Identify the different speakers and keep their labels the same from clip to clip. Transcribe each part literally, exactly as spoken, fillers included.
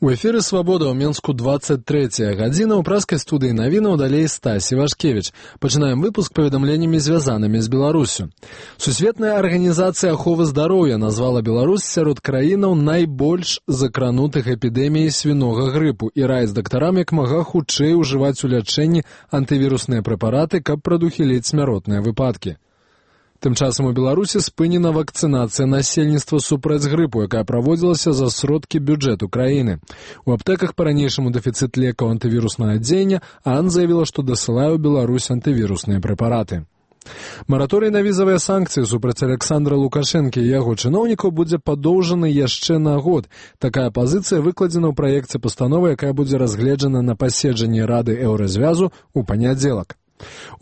Speaker 1: У эфіры «Свабода» ў Менску двадцать трэцяя гадзіна. У праскай студыі навінаў далей Стась Івашкевіч. Пачынаем выпуск паведамленнямі, звязанымі з Беларусю. Сусветная арганізацыя аховы здароўя назвала Беларусь сярод краінаў найбольш закранутых эпідэміяй свінога грыпу і раіць дактарам як мага хутчэй ужываць у лячэнні антывірусныя прэпараты, каб прадухіліць смяротныя выпадкі. Тым часам у Беларусі спынена вакцынацыя насельніцтва супраць грыпу, якая праводзілася за сродкі бюджэту краіны. У аптэках па-ранейшаму дэфіцыт лекаў антывіруснага дзеяння, а АН заявіла, што дасылае ў Беларусь антывірусныя прэпараты. Мараторый на візавыя санкцыі супраць Александра Лукашэнкі і яго чыноўнікаў будзе падоўжаны яшчэ на год. Такая пазіцыя выкладзена ў праекце пастановы, якая будзе разгледжана на паседжанні Рады Еўразвязу ў панядзелак.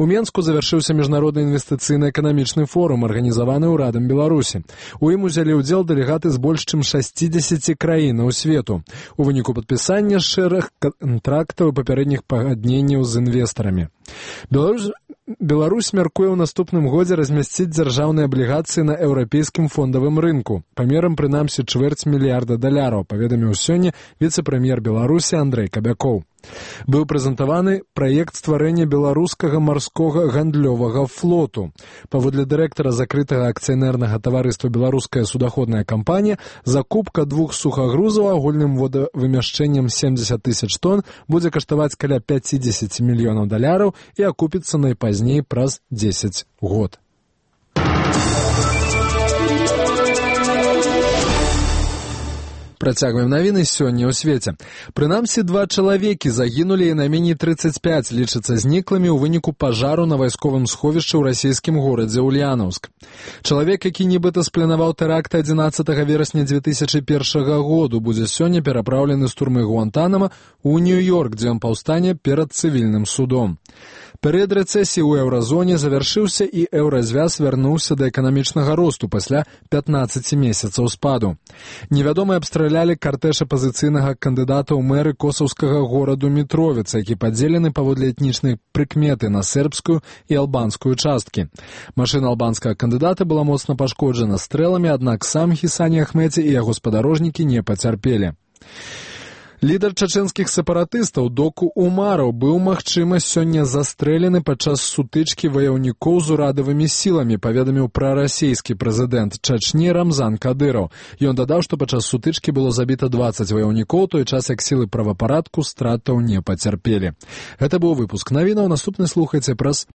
Speaker 1: У Менску завяршыўся міжнародны інвестыцыйна-эканамічны форум, арганізаваны ўрадам Беларусі. У ім узялі ўдзел дэлегаты з больш чым шасцідзесяці краінаў свету. У выніку падпісання шэраг кантрактаў і папярэдніх пагадненняў з інвестарамі. Беларусь, Беларусь мяркуе ў наступным годзе размясціць дзяржаўныя аблігацыі на еўрапейскім фондавым рынку, памерам прынамсі чвэрць мільярда даляраў, паведаміў сёння віцэ-прэм'ер Беларусі Андрэй Кабякоў. Быў прэзентаваны праект стварэння беларускага марскога гандлёвага флоту. Паводле дырэктара закрытага акцыянернага таварыства «Беларуская судаходная кампанія», закупка двух сухагрузаў агульным водавымяшчэннем семдзесят тысяч тонн будзе каштаваць каля пяцьдзесят мільёнаў даляраў і акупіцца найпазней праз дзесяць год. Працягваем навіны сёння ў свеце. Прынамсі, два чалавекі загінулі і найменей трыццаць пяць лічацца зніклымі ў выніку пажару на вайсковым сховішчы ў расійскім горадзе Ульянаўск. Чалавек, які нібыта спланаваў тэракт адзінаццатага верасня дзве тысячы першага году, будзе сёння перапраўлены з турмы Гуантанама ў Нью-Йорк, дзе ён паўстане перад цывільным судом. Перыяд рэцэсіі ў еўразоне завяршыўся і еўразвяз вярнуўся да эканамічнага росту пасля пятнаццаці месяцаў спаду. Невядомыя абстралялі картэж апазіцыйнага кандыдата ў мэры косаўскага гораду Мітровіца, які падзелены паводле этнічнай прыкметы на сербскую і албанскую часткі. Машына албанскага кандыдата была моцна пашкоджана стрэламі, аднак сам Хісані Ахмедзі і яго спадарожнікі не пацярпелі. Лідар чачэнскіх сепаратыстаў Доку Умараў быў, магчыма, сёння застрэлены падчас сутычкі ваяўнікоў з урадавымі сіламі, паведаміў прарасійскі прэзідэнт Чачні Рамзан Кадыраў. Ён дадаў, што падчас сутычкі было забіта дваццаць ваяўнікоў, той час як сілы правапарадку стратаў не пацярпелі. Гэта быў выпуск навінаў, наступны слухайце праз